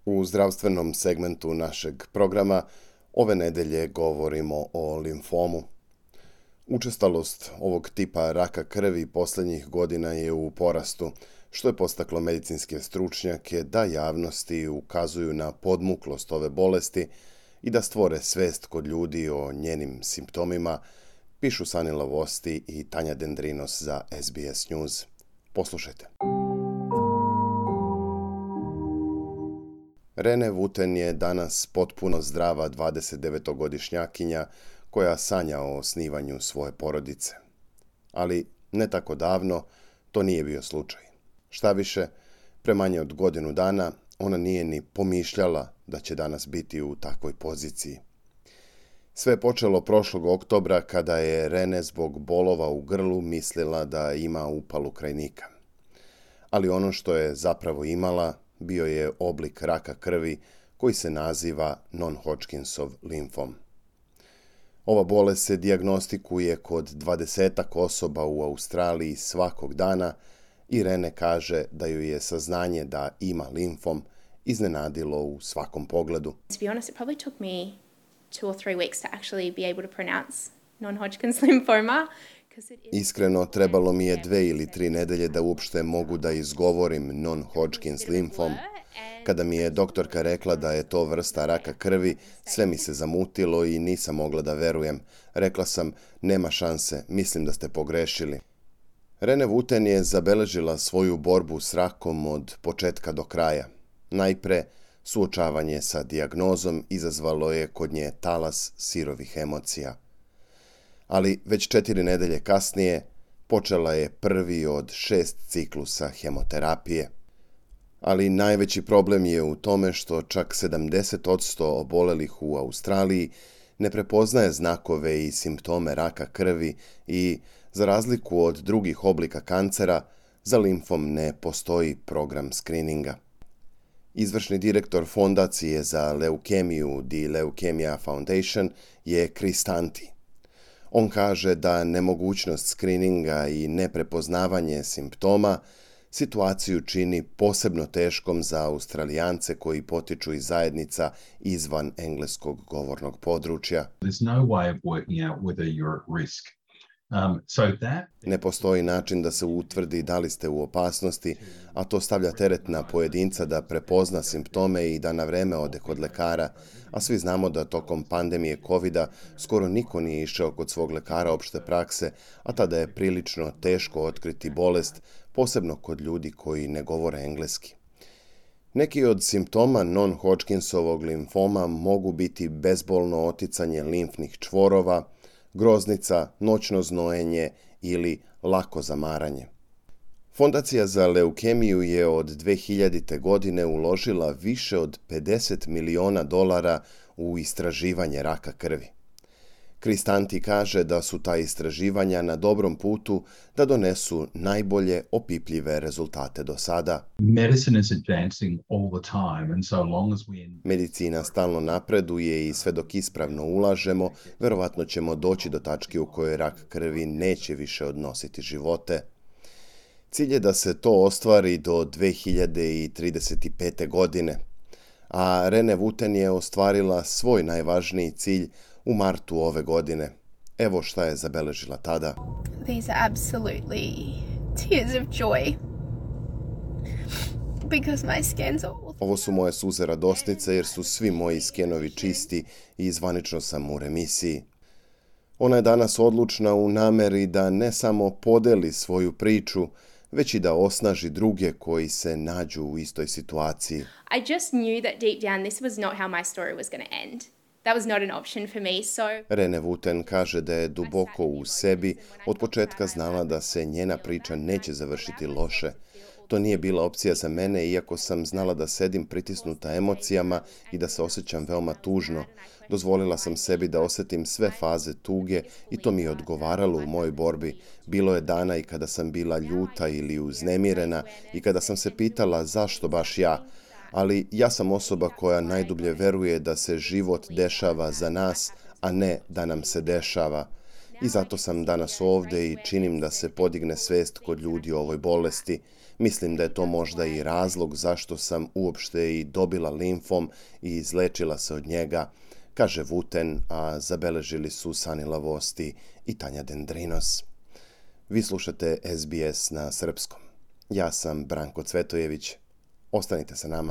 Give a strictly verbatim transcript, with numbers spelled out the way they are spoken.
U zdravstvenom segmentu našeg programa ove nedelje govorimo o limfomu. Učestalost ovog tipa raka krvi posljednjih godina je u porastu, što je postaklo medicinske stručnjake da javnosti ukazuju na podmuklost ove bolesti i da stvore svest kod ljudi o njenim simptomima, pišu Sanila Vosti i Tanja Dendrinos za S B S News. Poslušajte. Rene Wooten je danas potpuno zdrava dvadesetdevetogodišnjakinja koja sanja o osnivanju svoje porodice. Ali ne tako davno to nije bio slučaj. Štaviše, pre manje od godinu dana ona nije ni pomišljala da će danas biti u takvoj poziciji. Sve je počelo prošlog oktobra kada je Rene zbog bolova u grlu mislila da ima upalu krajnika. Ali ono što je zapravo imala bio je oblik raka krvi koji se naziva non-Hodgkinsov limfom. Ova bolest se dijagnostikuje kod dvadesetak osoba u Australiji svakog dana i Rene kaže da ju je saznanje da ima limfom iznenadilo u svakom pogledu. To be honest, it probably took me two or three weeks to actually be able to pronounce non-Hodgkin's lymphoma. Iskreno, trebalo mi je dve ili tri nedelje da uopšte mogu da izgovorim non-Hodgkin's limfom. Kada mi je doktorka rekla da je to vrsta raka krvi, sve mi se zamutilo i nisam mogla da verujem. Rekla sam, nema šanse, mislim da ste pogrešili. Rene Wooten je zabeležila svoju borbu s rakom od početka do kraja. Najpre, suočavanje sa dijagnozom izazvalo je kod nje talas sirovih emocija. Ali već četiri nedelje kasnije počela je prvi od šest ciklusa hemoterapije. Ali najveći problem je u tome što čak sedamdeset posto obolelih u Australiji ne prepoznaje znakove i simptome raka krvi i, za razliku od drugih oblika kancera, za limfom ne postoji program skrininga. Izvršni direktor fondacije za leukemiju The Leukemia Foundation je Chris Tanti. On kaže da nemogućnost skrininga i neprepoznavanje simptoma situaciju čini posebno teškom za Australijance koji potiču iz zajednica izvan engleskog govornog područja. Ne postoji način da se utvrdi da li ste u opasnosti, a to stavlja teret na pojedinca da prepozna simptome i da na vreme ode kod lekara, a svi znamo da tokom pandemije kovida skoro niko nije išao kod svog lekara opšte prakse, a tada je prilično teško otkriti bolest, posebno kod ljudi koji ne govore engleski. Neki od simptoma non-Hodgkinsovog limfoma mogu biti bezbolno oticanje limfnih čvorova, groznica, noćno znojenje ili lako zamaranje. Fondacija za leukemiju je od dve hiljadite. godine uložila više od pedeset miliona dolara u istraživanje raka krvi. Chris Tanti kaže da su ta istraživanja na dobrom putu da donesu najbolje opipljive rezultate do sada. Medicina stalno napreduje i sve dok ispravno ulažemo, verovatno ćemo doći do tačke u kojoj rak krvi neće više odnositi živote. Cilj je da se to ostvari do dve hiljade trideset pete. godine, a Rene Wooten je ostvarila svoj najvažniji cilj u martu ove godine. Evo šta je zabeležila tada. These are absolutely tears of joy. Because my scans are all... Ovo su moje suze radosnice jer su svi moji skenovi čisti i zvanično sam u remisiji. Ona je danas odlučna u nameri da ne samo podeli svoju priču, već i da osnaži druge koji se nađu u istoj situaciji. I just knew that deep down this was not how my story was going to end. That was not an option for me, so... Rene Wooten kaže da je duboko u sebi od početka znala da se njena priča neće završiti loše. To nije bila opcija za mene, iako sam znala da sedim pritisnuta emocijama i da se osjećam veoma tužno. Dozvolila sam sebi da osjetim sve faze tuge i to mi je odgovaralo u mojoj borbi. Bilo je dana i kada sam bila ljuta ili uznemirena i kada sam se pitala zašto baš ja. Ali ja sam osoba koja najdublje veruje da se život dešava za nas, a ne da nam se dešava. I zato sam danas ovde i činim da se podigne svest kod ljudi o ovoj bolesti. Mislim da je to možda i razlog zašto sam uopšte i dobila limfom i izlečila se od njega, kaže Wooten, a zabeležili su Sani Lavosti i Tanja Dendrinos. Vi slušate S B S na srpskom. Ja sam Branko Cvetojević. Ostanite sa nama.